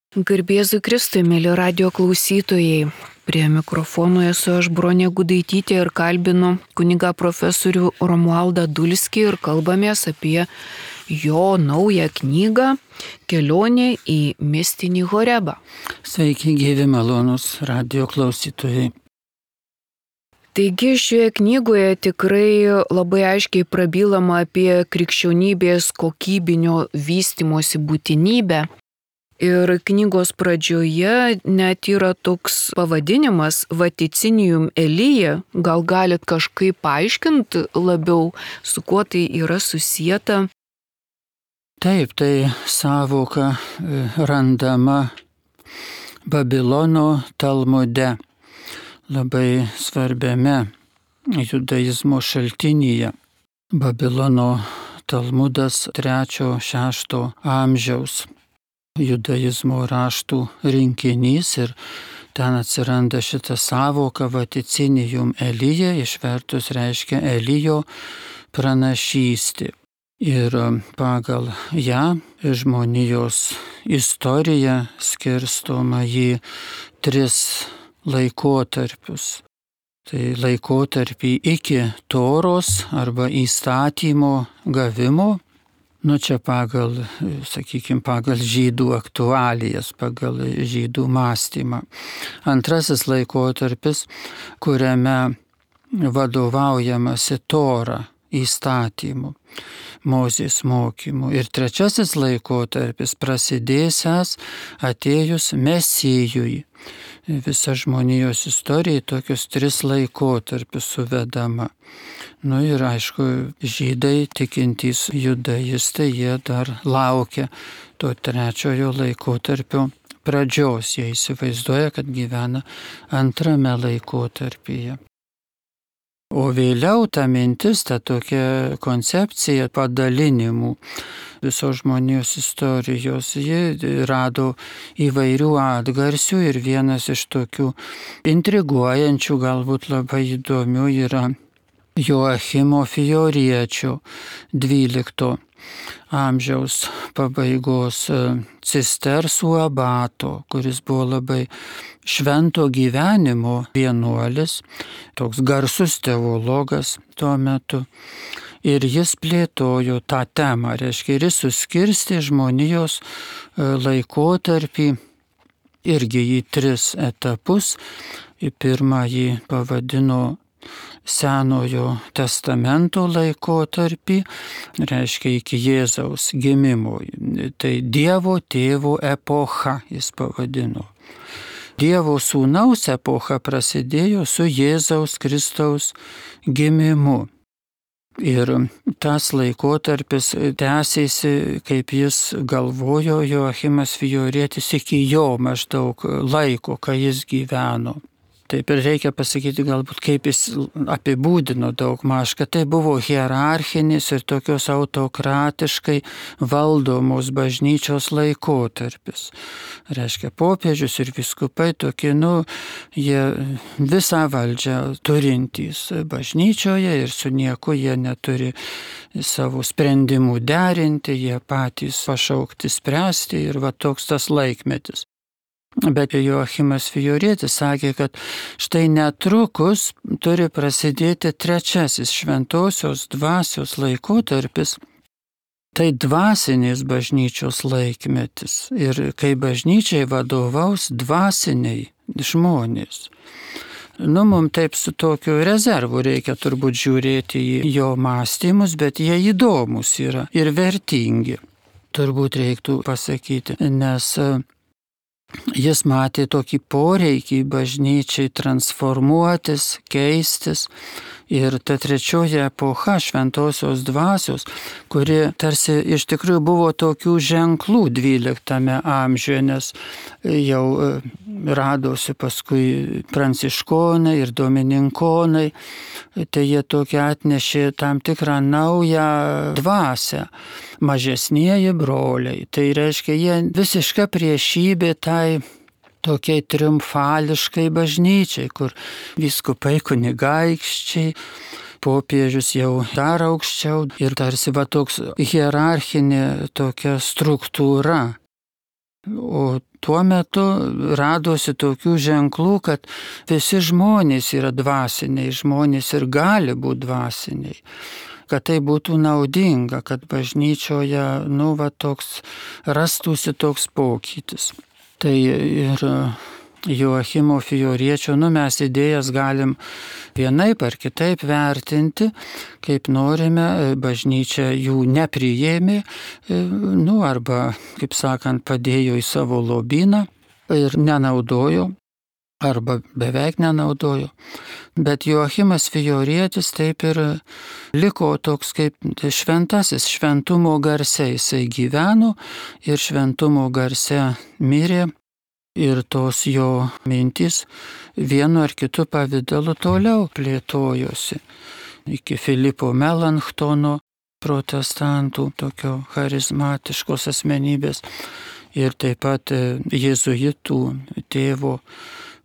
Garbėzui Kristui, mėly radio klausytojai. Prie mikrofono esu aš, Bronė Gudaitytė, ir kalbinu kunigą profesorių Romualdą Dulskį ir kalbamės apie jo naują knygą Kelionė į mistinį Horebą. Sveiki, gyvi malonūs radio klausytojai. Taigi šioje knygoje tikrai labai aiškiai prabylama apie krikščionybės kokybinio vystimosi būtinybę. Ir knygos pradžioje net yra toks pavadinimas Vaticinium Elija. Gal galit kažkaip paaiškinti labiau, su kuo tai yra susieta? Taip, tai sąvoka randama Babilono Talmude, labai svarbiame judaizmo šaltinyje. Babilono Talmudas 3-6 amžiaus judaizmo raštų rinkinys ir ten atsiranda šita sąvoka Vaticinium Elija, išvertus reiškia Elijo pranašystė. Ir pagal ją žmonijos istorija skirstoma į 3 laikotarpius. Tai laikotarpį iki Toros arba įstatymo gavimo. Čia pagal žydų aktualijas, pagal žydų mąstymą. Antrasis laikotarpis, kuriame vadovaujamasi Tora įstatymu, Mozės mokymu. Ir trečiasis laikotarpis prasidėsiąs atėjus Mesijui. Visa žmonijos istorija tokius 3 laikotarpius suvedama. Ir aišku, žydai, tikintys judaistai, jie dar laukia to 3 laikotarpio pradžios. Jie įsivaizduoja, kad gyvena 2 laikotarpyje. O vėliau ta mintis, ta tokia koncepcija padalinimų visos žmonijos istorijos, ji rado įvairių atgarsių ir vienas iš tokių intriguojančių, galbūt labai įdomių yra Joachimo Fioriečio 12 amžiaus pabaigos cistersų abato, kuris buvo labai švento gyvenimo vienuolis, toks garsus teologas tuo metu. Ir jis plėtojo tą temą, reiškia, ir jis suskirstė žmonijos laikotarpį irgi į 3 etapus. Į pirmąjį pavadino Senojo testamento laikotarpį, reiškia iki Jėzaus gimimo. Tai Dievo tėvo epocha jis pavadino. Dievo sūnaus epocha prasidėjo su Jėzaus Kristaus gimimu. Ir tas laikotarpis tęsėsi, kaip jis galvojo, Joachimas Fiorietis, iki jo maždaug laiko, kai jis gyveno. Taip ir reikia pasakyti galbūt, kaip jis apibūdino daugmaž, kad tai buvo hierarchinis ir tokios autokratiškai valdomos bažnyčios laikotarpis. Reiškia, popiežius ir vyskupai tokie, jie visą valdžią turintys bažnyčioje ir su nieko jie neturi savo sprendimų derinti, jie patys pašaukti spręsti ir toks tas laikmetis. Bet Joachimas Fiorietis sakė, kad štai netrukus turi prasidėti 3 šventosios dvasios laikotarpis. Tai dvasinės bažnyčios laikmetis ir kai bažnyčiai vadovaus dvasiniai žmonės. Mums taip su tokiu rezervu reikia turbūt žiūrėti į jo mąstymus, bet jie įdomus yra ir vertingi. Turbūt reiktų pasakyti, nes jis matė tokį poreikį bažnyčiai transformuotis, keistis. Ir ta 3 epocha šventosios dvasios, kuri tarsi iš tikrųjų buvo tokių ženklų 12 amžiuje, nes jau radosi paskui pranciškonai ir domininkonai, tai jie tokia atnešė tam tikrą naują dvasią. Mažesnieji broliai, tai reiškia, jie visiška priešybė tai tokiai triumfališkai bažnyčiai, kur vyskupai kunigaikščiai, popiežius jau dar aukščiau ir tarsi toks hierarchinė tokia struktūra. O tuo metu radosi tokių ženklų, kad visi žmonės yra dvasiniai, žmonės ir gali būti dvasiniai. Kad tai būtų naudinga, kad bažnyčioje, toks rastųsi toks pokytis. Tai ir Joachimo Fioriečio, mes idėjas galim vienaip ar kitaip vertinti, kaip norime, bažnyčia jų nepriėmė, arba, kaip sakant, padėjo į savo lobyną ir nenaudojo, arba beveik nenaudojo. Bet Joachimas Fiorietis taip ir liko toks kaip šventasis, šventumo garse jisai gyveno ir šventumo garse mirė. Ir tos jo mintys vienu ar kitu pavidalu toliau plėtojosi. Iki Filipo Melanchtono, protestantų, tokio charizmatiškos asmenybės. Ir taip pat jėzuitų tėvo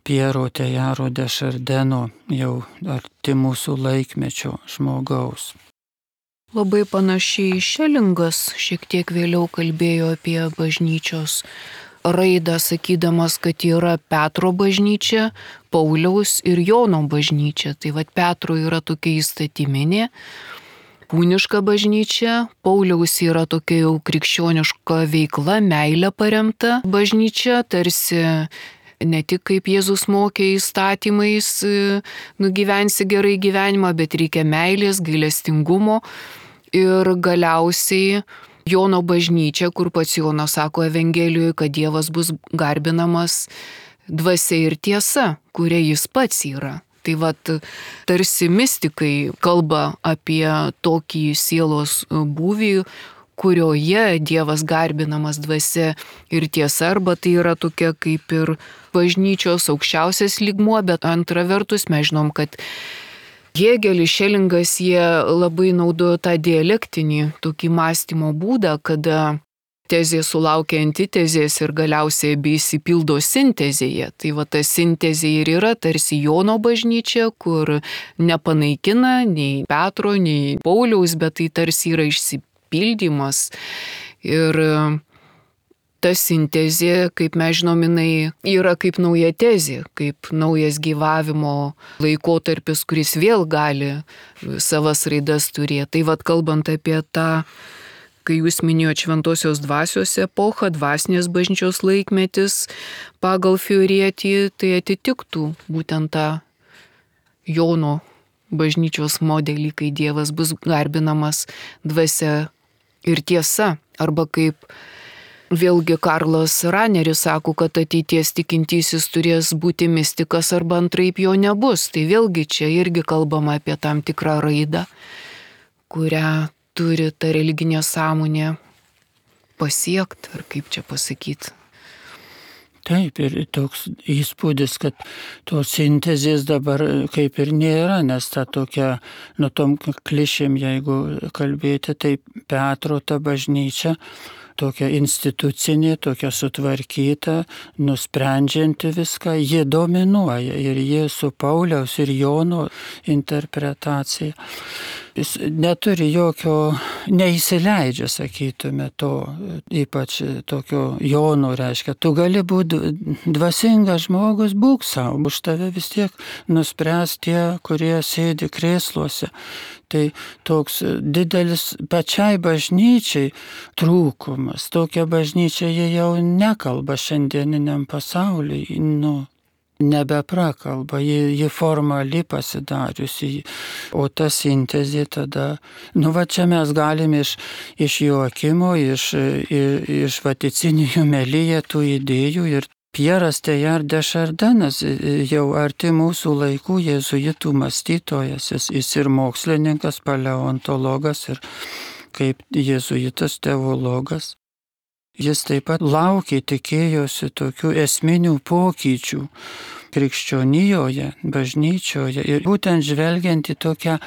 Piero Tejaro de Šardeno, jau arti mūsų laikmečio žmogaus. Labai panašiai Šelingas šiek tiek vėliau kalbėjo apie bažnyčios raidą, sakydamas, kad yra Petro bažnyčia, Pauliaus ir Jono bažnyčia. Tai Petro yra tokia įstatyminė, kūniška bažnyčia, Pauliaus yra tokia jau krikščioniška veikla, meilė paremta bažnyčia, tarsi ne tik kaip Jėzus mokė įstatymais, nugyvensi gerai gyvenimą, bet reikia meilės, gailestingumo. Ir galiausiai Jono bažnyčia, kur pats Jonas sako Evangelijoje, kad Dievas bus garbinamas dvasia ir tiesa, kuria jis pats yra. Tai tarsi mistikai kalba apie tokį sielos būvį, kurioje Dievas garbinamas dvasia ir tiesa, arba tai yra tokia kaip ir bažnyčios aukščiausias lygmuo, bet antra vertus mes žinom, kad Hėgelis, Šelingas, jie labai naudojo tą dialektinį tokį mąstymo būdą, kada tezė sulaukia antitezės ir galiausiai abi išsipildo sintezėje. Tai ta sintezė ir yra tarsi Jono bažnyčia, kur nepanaikina nei Petro, nei Pauliaus, bet tai tarsi yra išsipildymas. Ir ta sintezė, kaip mes žinom, jinai yra kaip nauja tezė, kaip naujas gyvavimo laikotarpis, kuris vėl gali savas raidas turėti. Tai kalbant apie tą, kai jūs minėjote šventosios dvasios epochą, dvasinės bažnyčios laikmetis pagal Fiorietį, tai atitiktų būtent tą Jono bažnyčios modelį, kai Dievas bus garbinamas dvasia ir tiesa, arba kaip vėlgi Karlas Raneris sako, kad ateities tikintysis turės būti mistikas arba antraip jo nebus. Tai vėlgi čia irgi kalbama apie tam tikrą raidą, kurią turi ta religinė sąmonė pasiekti, ar kaip čia pasakyti. Taip, ir toks įspūdis, kad tos sintezės dabar kaip ir nėra, nes ta tokia, tom klišėm, jeigu kalbėti, tai Petro ta bažnyčia, tokia institucinė, tokia sutvarkyta, nusprendžianti viską, ji dominuoja ir ji su Pauliaus ir Jono interpretacija. Jis neturi jokio, neįsileidžia, sakytume, to, ypač tokio Jono, reiškia, tu gali būti dvasingas žmogus, būk savo, už tave vis tiek nuspręs tie, kurie sėdi krėsluose. Tai toks didelis pačiai bažnyčiai trūkumas. Tokia bažnyčia jie jau nekalba šiandieniniam pasauliui, nebeprakalba, ji formali pasidariusi, o ta sintezė tada, čia mes galime iš Joakimo, iš Vaticinijų Melyje tų idėjų ir Pieras Tejar de Šardenas, jau arti mūsų laikų jėzuitų mąstytojas, jis ir mokslininkas, paleontologas ir kaip jėzuitas teologas. Jis taip pat laukė, tikėjosi tokių esminių pokyčių krikščionijoje, bažnyčioje ir būtent žvelgiant į tokią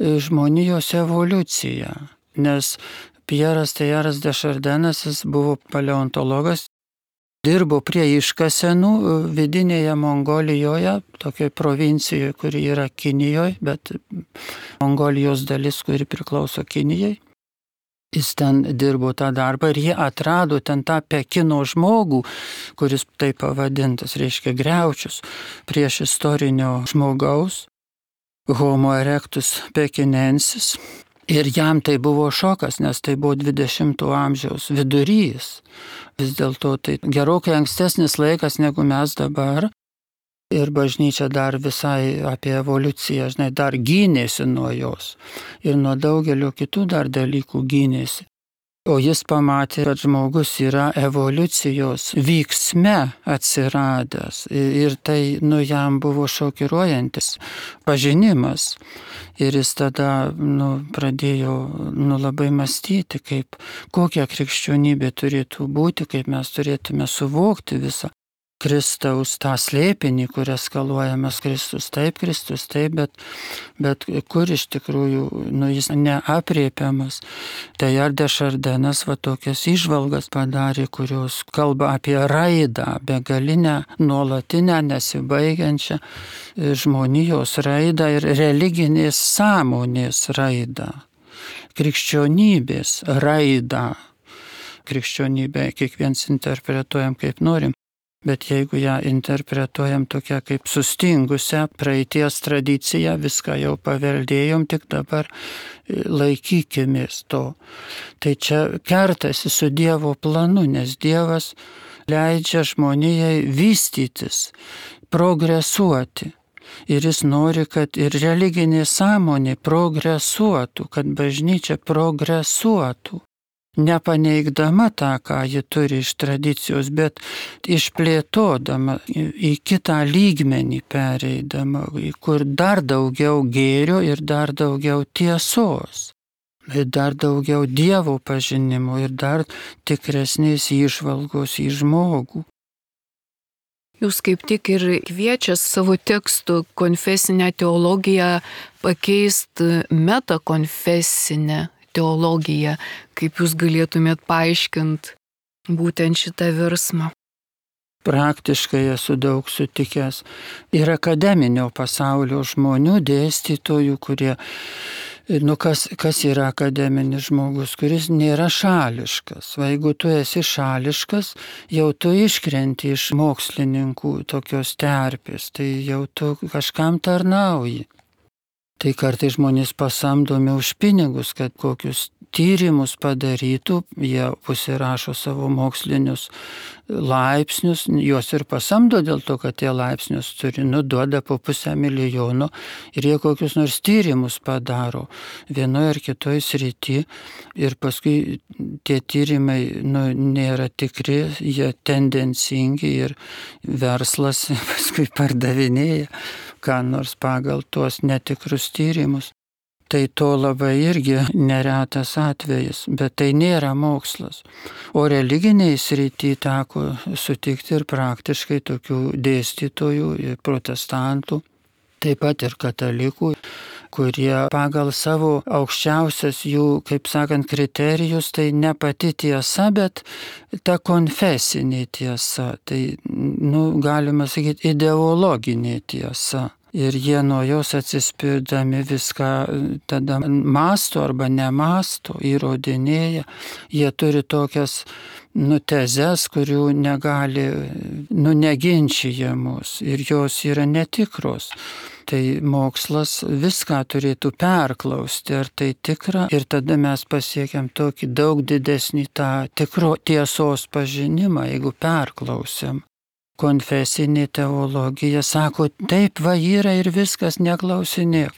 žmonijos evoliuciją. Nes Pieras Tejaras de Šardenas, jis buvo paleontologas, dirbo prie iškasenų vidinėje Mongolijoje, tokioje provincijoje, kuri yra Kinijoje, bet Mongolijos dalis, kuri priklauso Kinijai. Jis ten dirbo tą darbą ir jie atrado ten tą Pekino žmogų, kuris taip pavadintas, reiškia griaučius prieš istorinio žmogaus, Homo erectus pekinensis. Ir jam tai buvo šokas, nes tai buvo 20 amžiaus vidurys. Vis dėlto tai gerokai ankstesnis laikas negu mes dabar. Ir bažnyčia dar visai apie evoliuciją, dar gynėsi nuo jos. Ir nuo daugelio kitų dar dalykų gynėsi. O jis pamatė, kad žmogus yra evoliucijos vyksme atsiradęs. Ir tai jam buvo šokiruojantis pažinimas. Ir jis tada pradėjo labai mąstyti, kokia krikščionybė turėtų būti, kaip mes turėtume suvokti visą Kristaus tą slėpinį, kur eskaluojamas Kristus taip, bet kur iš tikrųjų jis neapriepiamas. Tai Ardė Šardenas tokias įžvalgas padarė, kurios kalba apie raidą, begalinę, nuolatinę, nesibaigiančią žmonijos raidą ir religinės sąmonės raidą, krikščionybės raidą. Krikščionybę kiekvienas interpretuojam kaip norim. Bet jeigu ją interpretuojam tokia kaip sustingusią praeities tradiciją, viską jau paveldėjom, tik dabar laikykimės to. Tai čia kertasi su Dievo planu, nes Dievas leidžia žmonijai vystytis, progresuoti. Ir jis nori, kad ir religinė sąmonė progresuotų, kad bažnyčia progresuotų. Nepaneigdama tą, ką ji turi iš tradicijos, bet išplėtodama į kitą lygmenį pereidama, kur dar daugiau gėrio ir dar daugiau tiesos, ir dar daugiau Dievo pažinimo ir dar tikresnės įžvalgos į žmogų. Jūs kaip tik ir kviečia savo tekstų konfesinę teologiją pakeisti metakonfesinę teologiją, kaip jūs galėtumėt paaiškinti būtent šitą virsmą? Praktiškai esu daug sutikęs ir akademinio pasaulio žmonių, dėstytojų, kurie, kas yra akademinis žmogus, kuris nėra šališkas. O jeigu tu esi šališkas, jau tu iškrenti iš mokslininkų tokios terpės, tai jau tu kažkam tarnauji. Tai kartai žmonės pasamdomi už pinigus, kad kokius tyrimus padarytų, jie pasirašo savo mokslinius laipsnius, juos ir pasamdo dėl to, kad tie laipsnius turi, duoda po 500 000 ir jie kokius nors tyrimus padaro vienoje ar kitoje srity ir paskui tie tyrimai nėra tikri, jie tendencingi ir verslas paskui pardavinėja ką nors pagal tuos netikrus tyrimus. Tai to labai irgi neretas atvejis, bet tai nėra mokslas. O religiniai srity teko sutikti ir praktiškai tokių dėstytojų ir protestantų, taip pat ir katalikų, kurie pagal savo aukščiausias jų, kaip sakant, kriterijus, tai ne pati tiesa, bet ta konfesinė tiesa, tai, galima sakyti, ideologinė tiesa. Ir jie nuo jos atsispirdami viską tada mąsto arba nemąsto, įrodinėja. Jie turi tokias tezes, kurių negali, neginčijamos ir jos yra netikros. Tai mokslas viską turėtų perklausti, ar tai tikra, ir tada mes pasiekiam tokį daug didesnį tą tiesos pažinimą, jeigu perklausiam. Konfesinė teologija sako, taip va yra ir viskas, neklausinėk.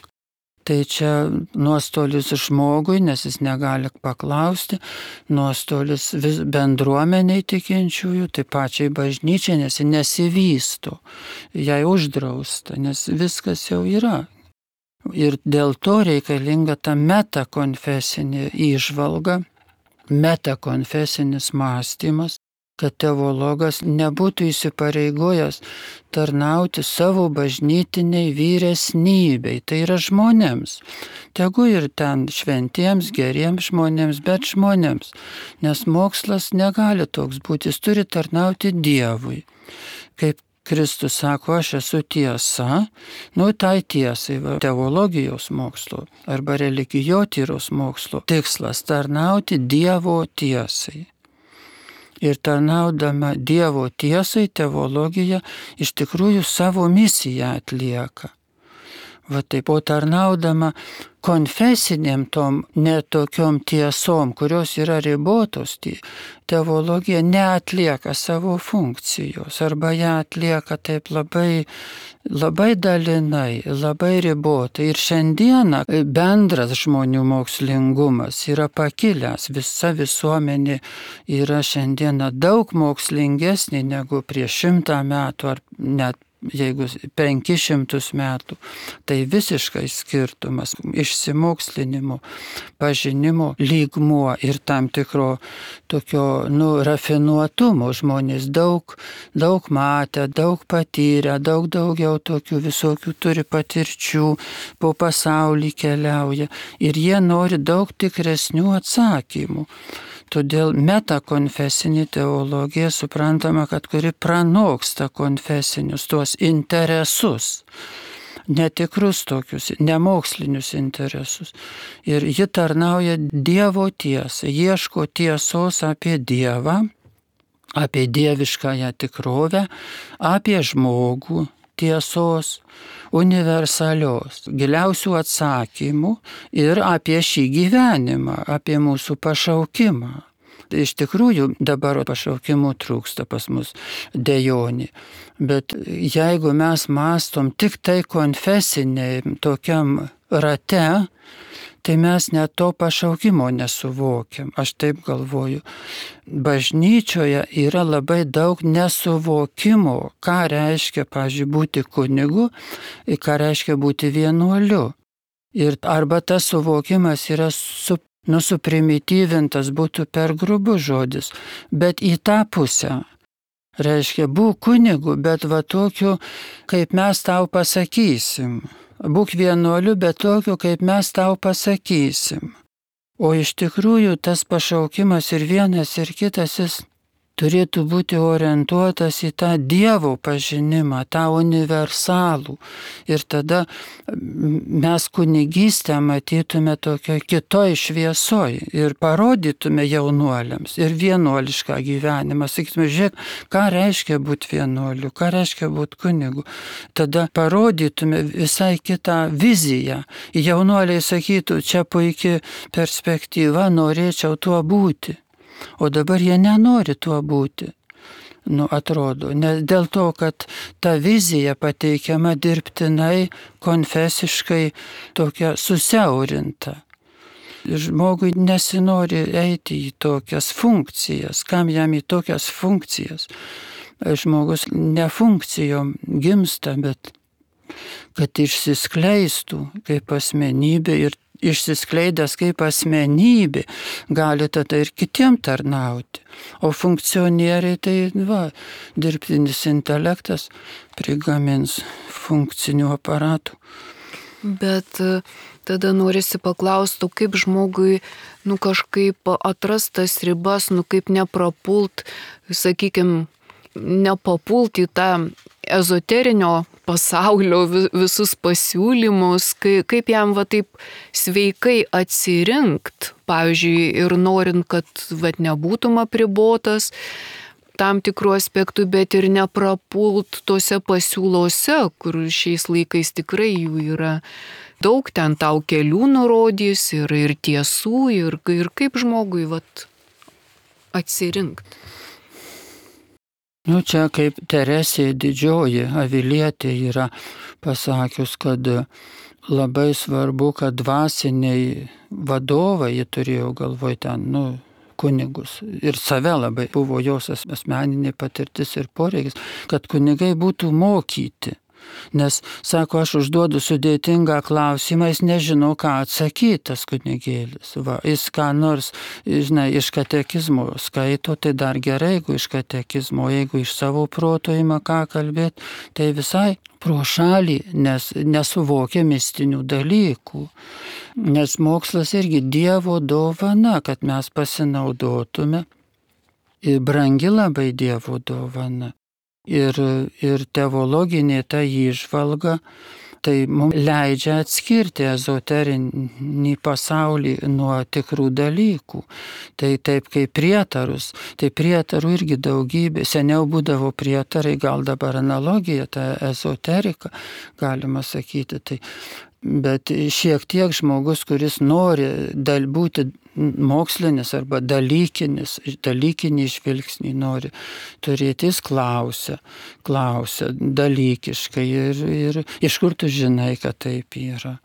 Tai čia nuostolis žmogui, nes jis negali paklausti, nuostolis bendruomeniai tikinčiųjų, tai pačiai bažnyčiai, nes jis nesivysto, jai uždrausta, nes viskas jau yra. Ir dėl to reikalinga ta metakonfesinė įžvalga, metakonfesinis mąstymas, kad teologas nebūtų įsipareigojęs tarnauti savo bažnytiniai vyresnybei, tai yra žmonėms. Tegu ir ten šventiems, geriems žmonėms, bet žmonėms, nes mokslas negali toks būti, jis turi tarnauti Dievui. Kaip Kristus sako, aš esu tiesa, tai tiesai, teologijos mokslo arba religijotyros mokslo tikslas tarnauti Dievo tiesai. Ir tarnaudama Dievo tiesai teologija iš tikrųjų savo misiją atlieka. Taip, o tarnaudama konfesiniam tom netokiom tiesom, kurios yra ribotos, teologija neatlieka savo funkcijos arba ją atlieka taip labai dalinai, labai ribotai. Ir šiandieną bendras žmonių mokslingumas yra pakilęs, visa visuomenė yra šiandieną daug mokslingesnė negu prieš 100 metų ar net jeigu 500 metų, tai visiškai skirtumas išsimokslinimo, pažinimo lygmuo ir tam tikro tokio rafinuotumo. Žmonės daug matę, daug patyrę, daugiau tokių visokių turi patirčių, po pasaulį keliauja ir jie nori daug tikresnių atsakymų. Todėl metakonfesinė teologija suprantama, kad kuri pranoksta konfesinius tuos interesus, netikrus tokius, nemokslinius interesus. Ir ji tarnauja Dievo tiesai, ieško tiesos apie Dievą, apie dieviškąją tikrovę, apie žmogų tiesos, universalios, giliausių atsakymų ir apie šį gyvenimą, apie mūsų pašaukimą. Iš tikrųjų dabar pašaukimų trūksta pas mus, dejonė. Bet jeigu mes mąstom tik tai konfesiniai tokiam rate, tai mes net to pašaukimo nesuvokiam. Aš taip galvoju. Bažnyčioje yra labai daug nesuvokimo, ką reiškia, pavyzdžiui, būti kunigu, ką reiškia būti vienuoliu. Ir arba tas suvokimas yra suprimityvintas, būtų per grubus žodis, bet į tą pusę. Reiškia, būk kunigu, bet tokiu, kaip mes tau pasakysim. Būk vienuoliu, bet tokiu, kaip mes tau pasakysim. O iš tikrųjų tas pašaukimas ir vienas ir kitas, jis turėtų būti orientuotas į tą Dievo pažinimą, tą universalų. Ir tada mes kunigystę matytume tokio kitoj šviesoj ir parodytume jaunuoliams ir vienuolišką gyvenimą. Sakytume, žiūrėk, ką reiškia būti vienuoliu, ką reiškia būti kunigu. Tada parodytume visai kitą viziją. Jaunuoliai sakytų, čia puikia perspektyva, norėčiau tuo būti. O dabar jie nenori tuo būti, atrodo, nes dėl to, kad ta vizija pateikiama dirbtinai, konfesiškai tokia susiaurinta. Žmogui nesinori eiti į tokias funkcijas, kam jam į tokias funkcijas. Žmogus ne funkcijom gimsta, bet kad išsiskleistų kaip asmenybė ir išsiskleidęs kaip asmenybė, gali tada ir kitiem tarnauti. O funkcionieriai tai, dirbtinis intelektas prigamins funkcinių aparatų. Bet tada norisi paklausti, kaip žmogui, kažkaip atrastas ribas, kaip neprapult, sakykime, nepapult į tą ezoterinio pasaulio visus pasiūlymus, kaip jam taip sveikai atsirinkt, pavyzdžiui, ir norint, kad nebūtum apribotas tam tikrų aspektų, bet ir neprapult tose pasiūlose, kur šiais laikais tikrai jų yra daug, ten tau kelių nurodys ir tiesų, ir kaip žmogui atsirinkt. Čia kaip Teresė Didžioji Avilietė yra pasakius, kad labai svarbu, kad dvasiniai vadovai, jie turėjo galvoj ten, kunigus. Ir save labai buvo jos asmeninė patirtis ir poreikis, kad kunigai būtų mokyti. Nes, sako, aš užduodu sudėtingą klausimą, jis nežino, ką atsakyti, tas kunigėlis. Jis ką nors, iš katekizmo skaito, tai dar gerai, jeigu iš katekizmo, jeigu iš savo proto ima ką kalbėti, tai visai pro šalį, nes nesuvokia mistinių dalykų. Nes mokslas irgi Dievo dovana, kad mes pasinaudotume. Ir brangi labai Dievo dovana. Ir teologinė ta įžvalga tai mums leidžia atskirti ezoterinį pasaulį nuo tikrų dalykų. Tai taip kaip prietarus. Tai prietarų irgi daugybė. Seniau būdavo prietarai, gal dabar analogija, ta ezoterika, galima sakyti. Bet šiek tiek žmogus, kuris nori būti mokslinis arba dalykinį žvilgsnį nori turėti, jis klausia dalykiškai ir iš kur tu žinai, kad taip yra.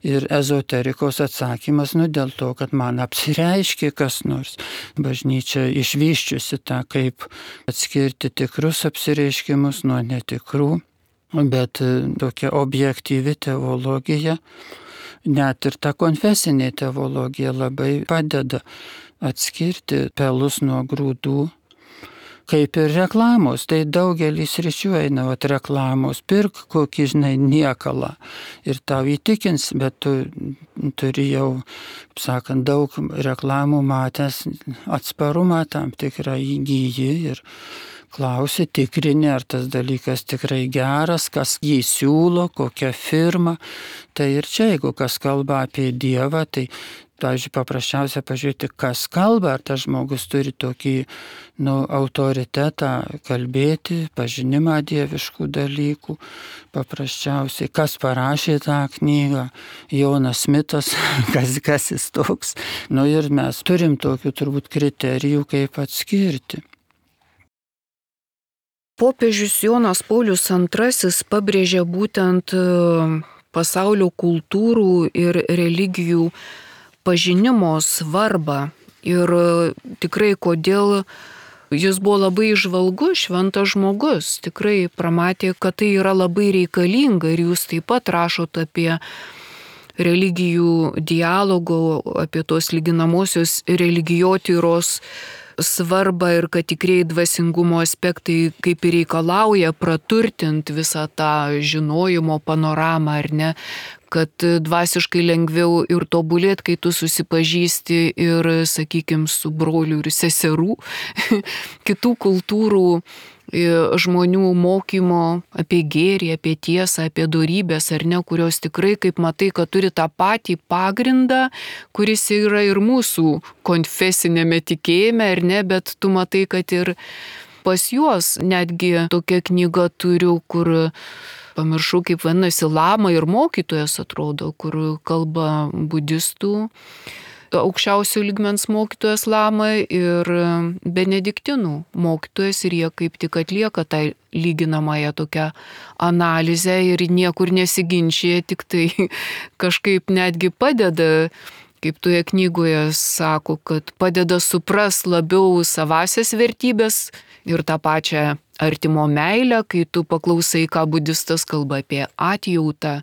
Ir ezoterikos atsakymas, dėl to, kad man apsireiškė kas nors. Bažnyčia išvyščiusi tą, kaip atskirti tikrus apsireiškimus nuo netikrų. Bet tokia objektyvi teologija, net ir ta konfesinė teologija labai padeda atskirti pelus nuo grūdų. Kaip ir reklamos, tai daugelis sričių eina, reklamos, pirk kokį, niekalą ir tau įtikins, bet tu turi jau, sakant, daug reklamų matęs, atsparumą tam tikrą įgyji ir klausi, tikrini, ar tas dalykas tikrai geras, kas jį siūlo, kokia firma. Tai ir čia, jeigu kas kalba apie Dievą, tai, pavyzdžiui, paprasčiausia pažiūrėti, kas kalba, ar tas žmogus turi tokį autoritetą kalbėti, pažinimą dieviškų dalykų. Paprasčiausiai, kas parašė tą knygą, Jonas Smitas, kas jis toks. Ir mes turim tokių turbūt kriterijų, kaip atskirti. Popiežius Jonas Paulius II pabrėžė būtent pasaulio kultūrų ir religijų pažinimo svarbą. Ir tikrai kodėl jis buvo labai įžvalgus, šventas žmogus. Tikrai pramatė, kad tai yra labai reikalinga ir jūs taip pat rašot apie religijų dialogo, apie tos lyginamosios religijotyros svarbą ir kad tikrieji dvasingumo aspektai kaip ir reikalauja praturtinti visą tą žinojimo panoramą, ar ne, kad dvasiškai lengviau ir tobulėti, kai tu susipažįsti ir, sakykime, su broliu ir seserų, kitų kultūrų žmonių mokymo apie gėrį, apie tiesą, apie dorybės, ar ne, kurios tikrai, kaip matai, kad turi tą patį pagrindą, kuris yra ir mūsų konfesinėme tikėjime, ar ne, bet tu matai, kad ir pas juos netgi tokia knyga turiu, kur pamiršau, kaip vadinasi, lama ir mokytojas atrodo, kur kalba budistų, aukščiausių lygmens mokytojas lama ir benediktinų mokytojas ir jie kaip tik atlieka tą lyginamąją tokią analizę ir niekur nesiginčia, tik tai kažkaip netgi padeda, kaip toje knygoje sako, kad padeda supras labiau savasias vertybės ir tą pačią artimo meilę, kai tu paklausai, ką budistas kalba apie atjautą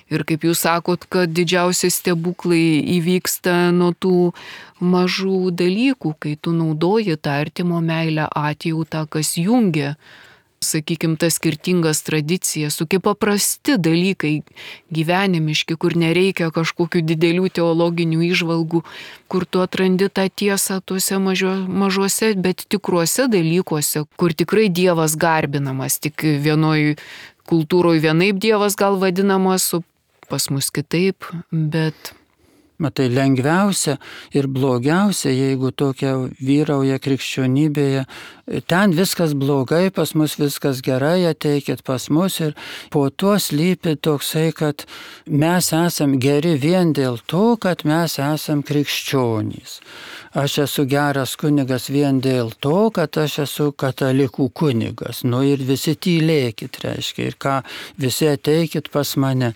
ir kaip jūs sakot, kad didžiausi stebuklai įvyksta nuo tų mažų dalykų, kai tu naudoji tą artimo meilę, atjautą, kas jungia, sakykime, tas skirtingas tradicijas, tokie paprasti dalykai gyvenimiški, kur nereikia kažkokių didelių teologinių įžvalgų, kur tu atrandi tą tiesą tuose mažuose, bet tikruose dalykuose, kur tikrai Dievas garbinamas, tik vienoj kultūroje vienaip Dievas gal vadinamas, o pas mus kitaip, bet... Matai, lengviausia ir blogiausia, jeigu tokia vyrauja krikščionybėje, ten viskas blogai, pas mus viskas gerai, ateikit pas mus ir po to slypi toksai, kad mes esam geri vien dėl to, kad mes esam krikščionys. Aš esu geras kunigas vien dėl to, kad aš esu katalikų kunigas. Ir visi tylėkit, reiškia, ir ką, visi ateikit pas mane.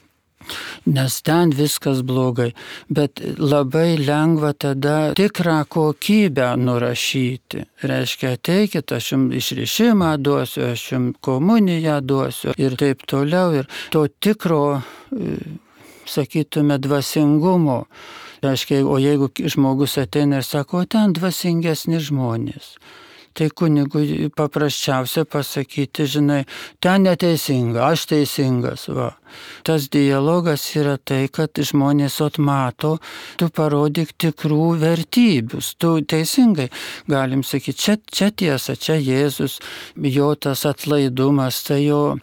Nes ten viskas blogai, bet labai lengva tada tikrą kokybę nurašyti. Reiškia, ateikit, aš jums išrišimą duosiu, aš jums komuniją duosiu ir taip toliau. Ir to tikro, sakytume, dvasingumo. Reiškia, o jeigu žmogus ateina ir sako, ten dvasingesni žmonės. tai kunigui paprasčiausia pasakyti, žinai, ten neteisinga, aš teisingas, va. Tas dialogas yra tai, kad žmonės mato, tu parodyk tikrų vertybius, tu teisingai, galim sakyti, čia tiesa, čia Jėzus, jo tas atlaidumas, tai jo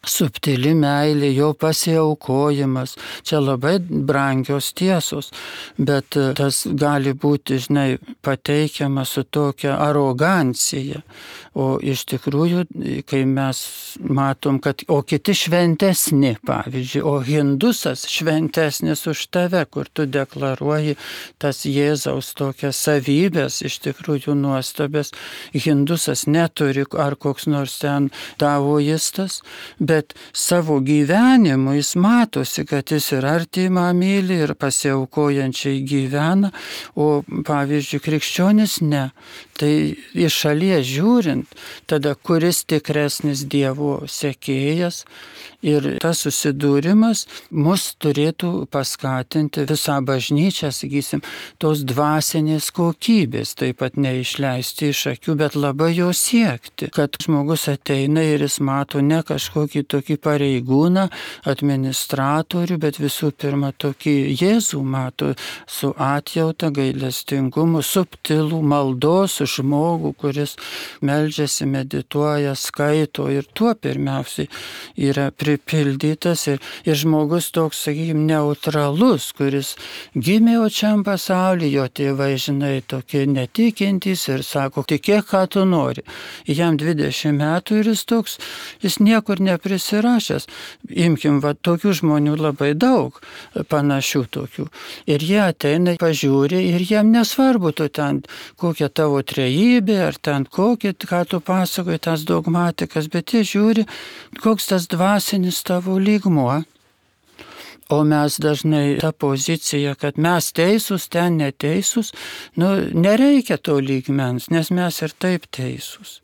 subtili meilė, jo pasiaukojimas, čia labai brangios tiesos, bet tas gali būti, žinai, pateikiama su tokia arogancija, o iš tikrųjų, kai mes matom, kad, o kiti šventesni, pavyzdžiui, o hindusas šventesnis už tave, kur tu deklaruoji tas Jėzaus tokias savybės, iš tikrųjų nuostabės, hindusas neturi, ar koks nors ten taoistas, bet savo gyvenimu jis matosi, kad jis ir artimą myli, ir pasiaukojančiai gyvena, o pavyzdžiui, krikščionis ne. Tai iš šalies žiūrint, tada kuris tikresnis Dievo sekėjas, ir tas susidūrimas mus turėtų paskatinti visą bažnyčią, sakysim, tos dvasinės kokybės, taip pat neišleisti iš akių, bet labai jo siekti, kad žmogus ateina ir jis mato ne kažkokį tokį pareigūną, administratorių, bet visų pirma tokį Jėzų mato su atjauta, gailestingumu, subtilų maldos žmogų, kuris meldžiasi, medituoja, skaito, ir tuo pirmiausiai yra pripildytas, ir žmogus toks, sakykime, neutralus, kuris gimė šiam pasaulyje, jo tėvai, žinai, tokie netikintys ir sako, tikėk, ką tu nori. Jam 20 metų ir jis niekur neprisirašęs. Imkim, tokių žmonių labai daug, panašių tokių. Ir jie ateina, pažiūri, ir jiem nesvarbu, tu ten kokia tavo trejybė, ar ten kokia, ką tu pasakoji, tas dogmatikas, bet jie žiūri, koks tas dvasinis tavo lygmuo. O mes dažnai tą poziciją, kad mes teisūs, ten neteisūs, nereikia to lygmens, nes mes ir taip teisūs.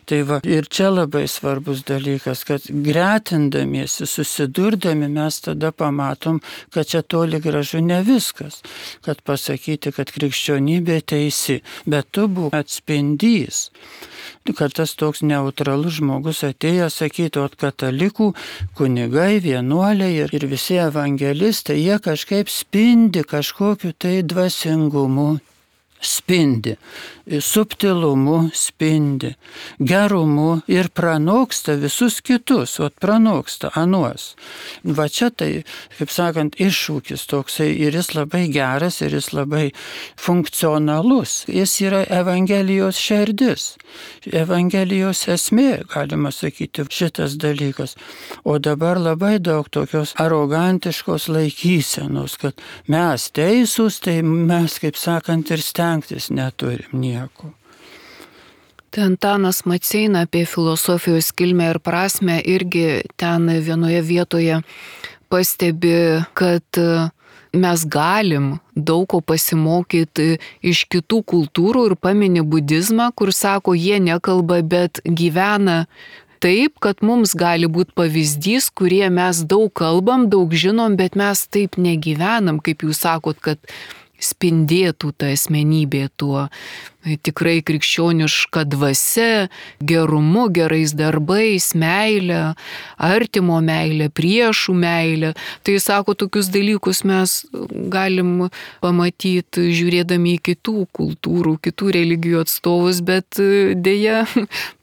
Tai va, ir čia labai svarbus dalykas, kad gretindamiesi, susidurdami, mes tada pamatom, kad čia toli gražu ne viskas, kad pasakyti, kad krikščionybė teisi, bet tu būk atspindys. Kad tas toks neutralus žmogus atėjęs sakytų, kad katalikų kunigai, vienuoliai ir visi evangelistai, jie kažkaip spindi kažkokiu tai dvasingumu, spindi, subtilumu spindi, gerumu ir pranoksta visus kitus, pranoksta anuos. Va čia tai, kaip sakant, iššūkis toksai, ir jis labai geras, ir jis labai funkcionalus. Jis yra Evangelijos šerdis, Evangelijos esmė, galima sakyti, šitas dalykas. O dabar labai daug tokios arogantiškos laikysenos, kad mes teisūs, tai mes, kaip sakant, ir stengtis neturim nieko. Tai Antanas Maceina apie filosofijos kilmę ir prasmę irgi ten vienoje vietoje pastebi, kad mes galim daug ko pasimokyti iš kitų kultūrų, ir pamini budizmą, kur sako, jie nekalba, bet gyvena taip, kad mums gali būti pavyzdys, kurie mes daug kalbam, daug žinom, bet mes taip negyvenam, kaip jūs sakot, kad spindėtų ta asmenybė tuo tikrai krikščioniška dvasia, gerumu, gerais darbais, meilė, artimo meilė, priešų meilė. Tai sako, tokius dalykus mes galim pamatyti žiūrėdami į kitų kultūrų, kitų religijų atstovus, bet dėja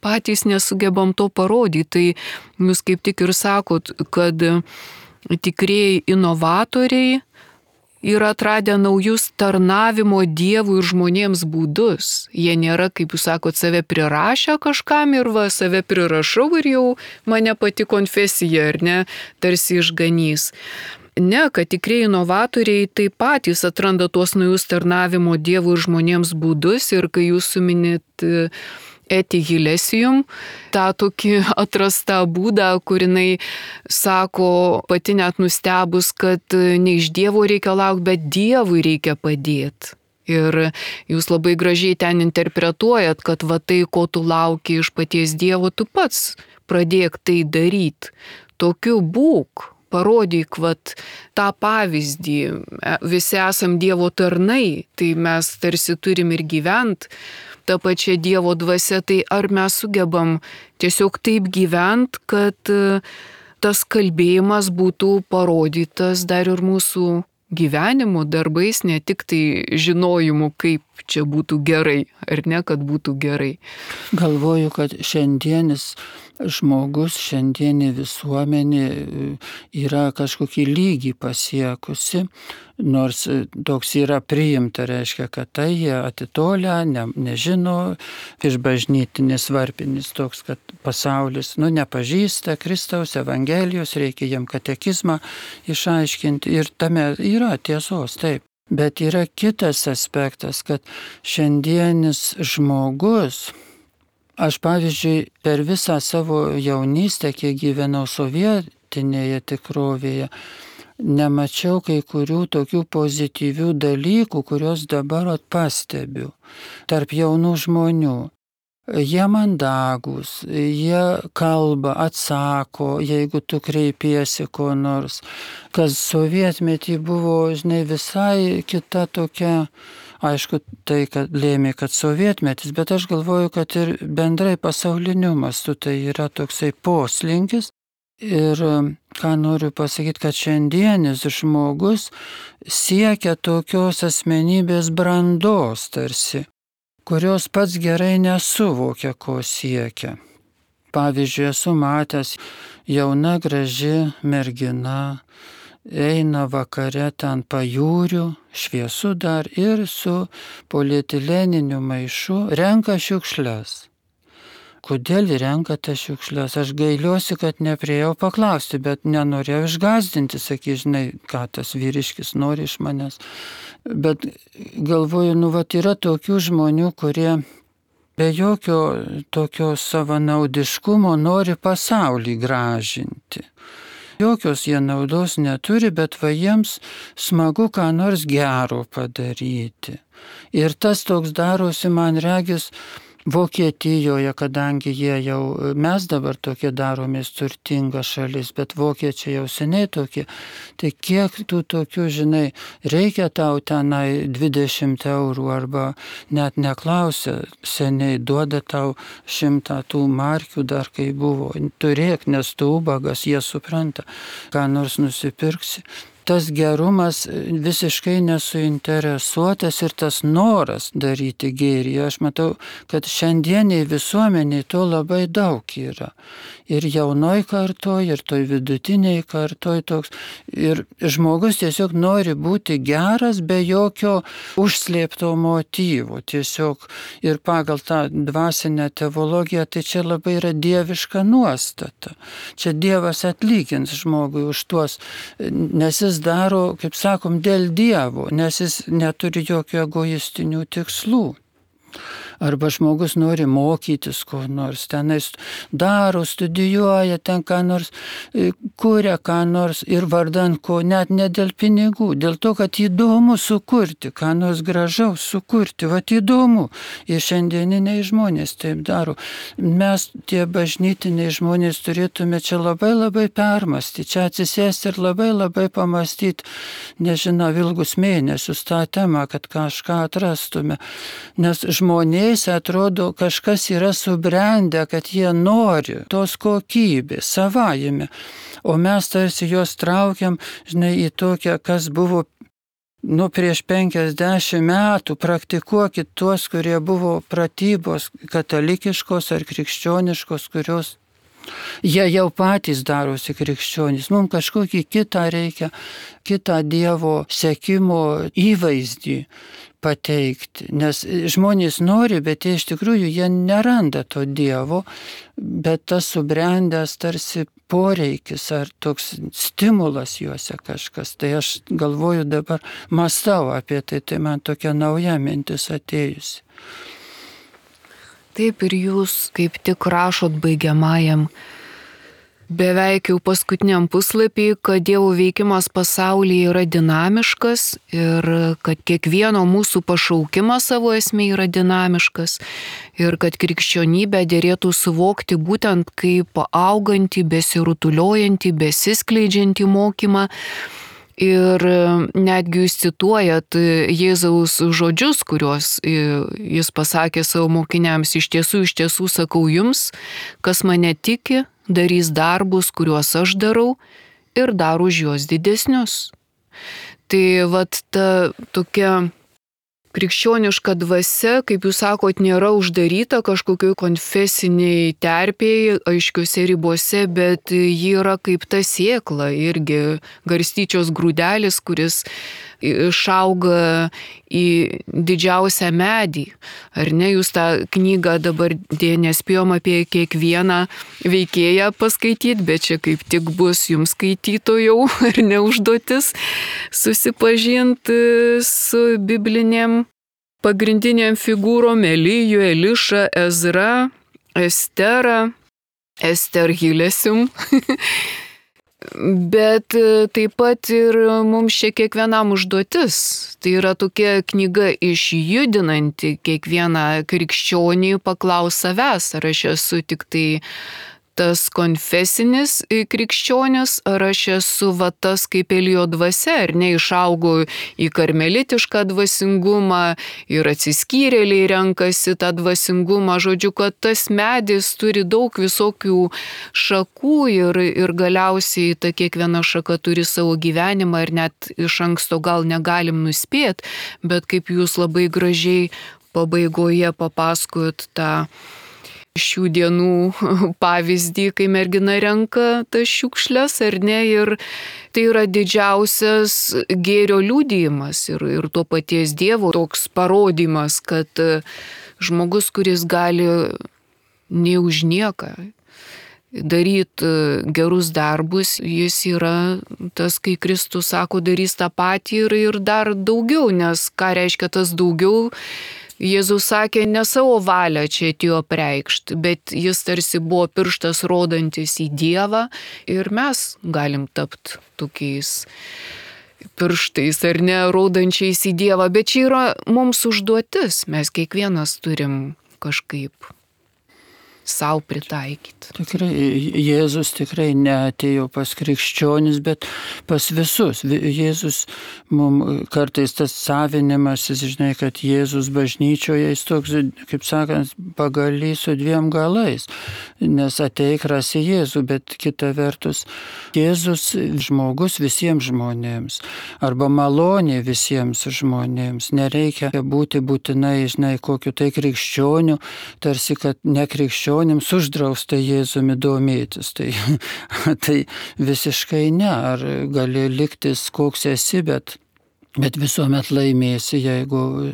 patys nesugebam to parodyti. Tai jūs kaip tik ir sakot, kad tikrieji inovatoriai yra atradę naujus tarnavimo Dievui ir žmonėms būdus. Jie nėra, kaip jūs sakot, save prirašę kažkam ir save prirašau ir jau mane pati konfesija, ar ne, tarsi išganys. Ne, kad tikrieji inovatoriai taip patys atranda tuos naujus tarnavimo Dievui ir žmonėms būdus, ir kai jūs suminit Eti Hilesium, tą tokį atrastą būdą, kur jinai sako, pati net nustebus, kad ne iš Dievo reikia laukti, bet Dievui reikia padėti. Ir jūs labai gražiai ten interpretuojat, kad tai, ko tu lauki iš paties Dievo, tu pats pradėk tai daryti. Tokiu būk. Parodyk tą pavyzdį, visi esam Dievo tarnai, tai mes tarsi turim ir gyventi ta pačia Dievo dvasia, tai ar mes sugebam tiesiog taip gyventi, kad tas kalbėjimas būtų parodytas dar ir mūsų gyvenimu, darbais, ne tik tai žinojimu, kaip čia būtų gerai, ar ne, kad būtų gerai. Galvoju, kad šiandienis žmogus, šiandienė visuomenė yra kažkokį lygį pasiekusi, nors toks yra priimta, reiškia, kad tai jie atitolę, nežino, išbažnytinis varpinis toks, kad pasaulis nepažįsta Kristaus Evangelijos, reikia jam katekizmą išaiškinti ir tame yra tiesos, taip. Bet yra kitas aspektas, kad šiandienis žmogus, aš pavyzdžiui per visą savo jaunystę, kiek gyvenau sovietinėje tikrovėje, nemačiau kai kurių tokių pozityvių dalykų, kuriuos dabar pastebiu tarp jaunų žmonių. Jie mandagūs, jie kalba, atsako, jeigu tu kreipiesi ko nors. Kas sovietmetį buvo, visai kita tokia, aišku, tai kad lėmė, kad sovietmetis, bet aš galvoju, kad ir bendrai pasauliniu mastu tai yra toksai poslinkis. Ir ką noriu pasakyti, kad šiandienis žmogus siekia tokios asmenybės brandos tarsi, kurios pats gerai nesuvokia, ko siekia. Pavyzdžiui, esu matęs jauna graži mergina, eina vakare ten pajūriu, šviesu dar ir su polietileniniu maišu renka šiukšles. Kodėl renkate šiukšles? Aš gailiuosi, kad nepriejau paklausti, bet nenorėjau išgąsdinti, žinai, ką tas vyriškis nori iš manęs. Bet galvoju, yra tokių žmonių, kurie be jokio tokio savanaudiškumo nori pasaulį gražinti. Jokios jie naudos neturi, bet jiems smagu ką nors gero padaryti. Ir tas toks darosi, man regis, Vokietijoje, kadangi mes dabar tokie daromės turtinga šalis, bet vokiečiai jau seniai tokie, tai kiek tų tokių, reikia tau tenai 20 eurų arba net neklausia, seniai duoda tau 100 tų markių dar kai buvo, turėk, nes tu ubagas, jie supranta, ką nors nusipirksi. Tas gerumas visiškai nesuinteresuotas ir tas noras daryti gėrį. Aš matau, kad šiandieniai visuomeniai to labai daug yra. Ir jaunoj kartoj, ir toj vidutiniai kartoj toks. Ir žmogus tiesiog nori būti geras be jokio užslėpto motyvo. Tiesiog ir pagal tą dvasinę teologiją, tai čia labai yra dieviška nuostata. Čia Dievas atlygins žmogui už tuos, nes jis daro, kaip sakom, dėl Dievo, nes jis neturi jokių egoistinių tikslų. Arba žmogus nori mokytis ko nors, tenais daro, studijuoja, ten ką nors, kuria ką nors ir vardan ko, net ne dėl pinigų, dėl to, kad įdomu sukurti, ką nors gražaus sukurti, įdomu. Ir šiandieniniai žmonės taip daro. Mes, tie bažnytiniai žmonės, turėtume čia labai labai permastyti, čia atsisėsti ir labai labai pamastyti, nežinau, ilgus mėnesius tą temą, kad kažką atrastume. Nes žmonės atrodo, kažkas yra subrendę, kad jie nori tos kokybės savajame, o mes tarsi juos traukiam, į tokią, kas buvo prieš 50 metų, praktikuokit tuos, kurie buvo pratybos katalikiškos ar krikščioniškos, kurios jie jau patys darosi krikščionys. Mums kažkokį kitą reikia, kitą Dievo sekimo įvaizdį pateikti. Nes žmonės nori, bet iš tikrųjų jie neranda to Dievo, bet tas subrendęs tarsi poreikis ar toks stimulas juose kažkas. Tai aš galvoju dabar, mąstau apie tai, tai man tokia nauja mintis atėjusi. Taip ir jūs kaip tik rašot baigiamajam, beveik jau paskutiniam puslapį, kad Dievo veikimas pasaulyje yra dinamiškas ir kad kiekvieno mūsų pašaukimas savo esmė yra dinamiškas ir kad krikščionybę dėrėtų suvokti būtent kaip augantį, besirutuliojantį, besiskleidžiantį mokymą. Ir netgi jūs cituojat Jėzaus žodžius, kuriuos jis pasakė savo mokiniams: iš tiesų sakau jums, kas mane tiki, darys darbus, kuriuos aš darau, ir dar už juos didesnius. Tai vat ta tokia krikščioniška dvasia, kaip jūs sakot, nėra uždaryta kažkokioj konfesiniai terpėje, aiškiuose ribose, bet ji yra kaip ta sėkla, irgi garstyčios grūdelis, kuris išauga į didžiausią medį. Ar ne, jūs tą knygą dabar nespėjom apie kiekvieną veikėją paskaityti, bet čia kaip tik bus jums skaitytojų ar ne užduotis susipažinti su biblinėm pagrindiniam figūrom: Elijų, Elišą, Ezra, Ester Hilesium. Bet taip pat ir mums čia kiekvienam užduotis. Tai yra tokia knyga išjudinanti kiekvieną krikščionį paklaus savęs, ar aš esu tik tai tas konfesinis krikščionis, ar aš esu va tas kaip Elijo dvasia, ar ne, išaugau į karmelitišką dvasingumą ir atsiskyrėliai renkasi tą dvasingumą. Žodžiu, kad tas medis turi daug visokių šakų ir galiausiai ta kiekviena šaka turi savo gyvenimą ir net iš anksto gal negalim nuspėti, bet kaip jūs labai gražiai pabaigoje papasakojot tą šių dienų pavyzdį, kai mergina renka tas šiukšles, ar ne, ir tai yra didžiausias gėrio liudijimas ir to paties Dievo toks parodymas, kad žmogus, kuris gali nei už nieką daryti gerus darbus, jis yra tas, kai Kristus sako, darys tą patį ir dar daugiau, nes ką reiškia tas daugiau? Jėzus sakė, ne savo valią čia atėjo preikšti, bet jis tarsi buvo pirštas rodantis į Dievą ir mes galim tapti tokiais pirštais, ar ne, rodančiais į Dievą, bet čia yra mums užduotis, mes kiekvienas turim kažkaip savo pritaikyti. Tikrai, Jėzus tikrai neatėjo pas krikščionis, bet pas visus. Jėzus, mums kartais tas savinimasis, žinai, kad Jėzus bažnyčioje, jis toks, kaip sakant, pagalys su dviem galais, nes ateik rasi Jėzų, bet kita vertus, Jėzus žmogus visiems žmonėms, arba malonė visiems žmonėms. Nereikia būti būtinai, žinai, kokiu tai krikščioniu, tarsi, kad ne krikščionims uždrausta Jėzumi domėtis. Tai visiškai ne. Ar gali liktis koks esi, bet visuomet laimėsi, jeigu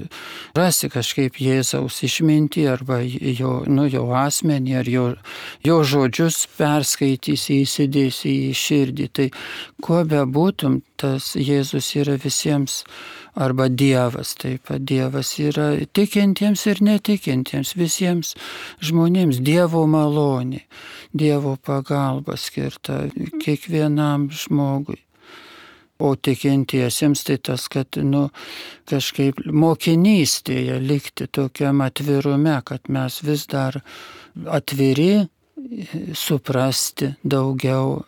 rasi kažkaip Jėzaus išmintį arba jo asmenį ar jo žodžius perskaitysi, įsidėsi į širdį. Tai kuo bebūtum, tas Jėzus yra visiems, arba Dievas. Taip pat Dievas yra tikintiems ir netikintiems, visiems žmonėms. Dievo malonė, Dievo pagalba skirta kiekvienam žmogui. O tikintiesiems tai tas, kad kažkaip mokinystėje likti tokiam atvirume, kad mes vis dar atviri suprasti daugiau,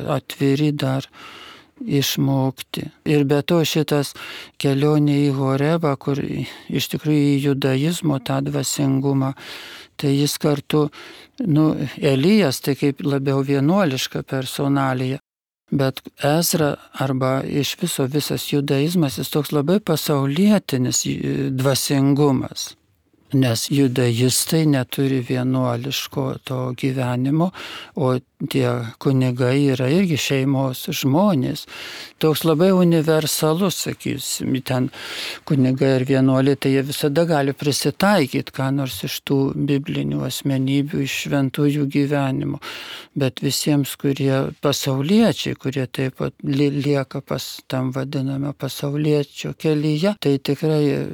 atviri dar išmokti. Ir be to šitas kelionė į Horebą, kur iš tikrųjų į judaizmo tą dvasingumą, tai jis kartu, Elijas tai kaip labiau vienuoliška personalija, bet Ezra arba iš viso visas judaizmas, jis toks labai pasaulietinis dvasingumas. Nes judaistai neturi vienuoliško to gyvenimo, o tie kunigai yra irgi šeimos žmonės. Toks labai universalus, sakysim, ten kunigai ir vienuoliai, tai jie visada gali prisitaikyti, ką nors iš tų biblinių asmenybių, iš šventųjų gyvenimo. Bet visiems, kurie pasauliečiai, kurie taip pat lieka pas tam vadiname pasauliečio kelyje, tai tikrai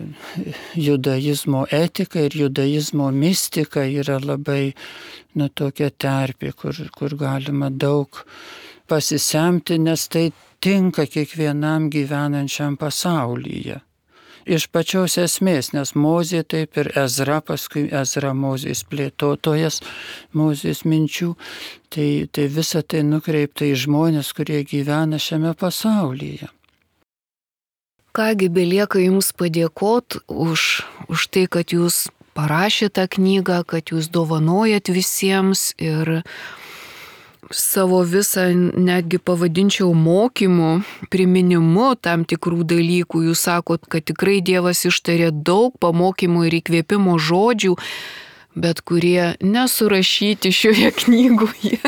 judaizmo etika ir judaizmo mistika yra labai tokia terpė, kur galima daug pasisemti, nes tai tinka kiekvienam gyvenančiam pasaulyje. Iš pačios esmės, nes Mozė taip ir Ezra, paskui Ezra Mozės plėtotojas, Mozės minčių, tai visa tai nukreipta į žmonės, kurie gyvena šiame pasaulyje. kągi, belieka Jums padėkoti už tai, kad Jūs parašėte tą knygą, kad Jūs dovanojat visiems ir savo visą, netgi pavadinčiau, mokymų, priminimu tam tikrų dalykų. Jūs sakot, kad tikrai Dievas ištarė daug pamokymų ir įkvėpimo žodžių, bet kurie nesurašyti šioje knygoje.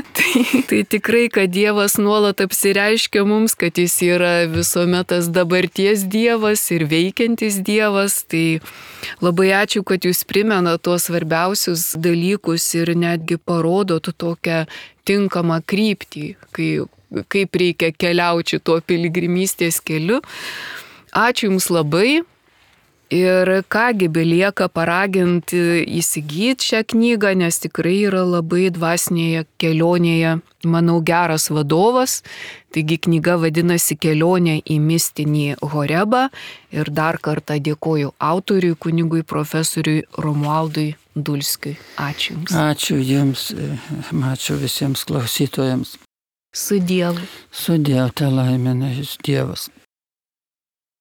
Tai tikrai, kad Dievas nuolat apsireiškia mums, kad Jis yra visuomet tas dabarties Dievas ir veikiantis Dievas. Tai labai ačiū, kad Jūs primena tuos svarbiausius dalykus ir netgi parodot tokią tinkamą kryptį, kaip reikia keliauti tuo piligrimystės keliu. Ačiū Jums labai. Ir kągi, belieka paraginti įsigyti šią knygą, nes tikrai yra labai dvasinėje kelionėje, manau, geras vadovas. Taigi knyga vadinasi Kelionė į mistinį Horebą. Ir dar kartą dėkoju autoriui, kunigui profesoriui Romualdui Dulskiui. Ačiū Jums. Ačiū Jums, ačiū visiems klausytojams. Su Dievu. Su Dievu, te laimina Jus Dievas.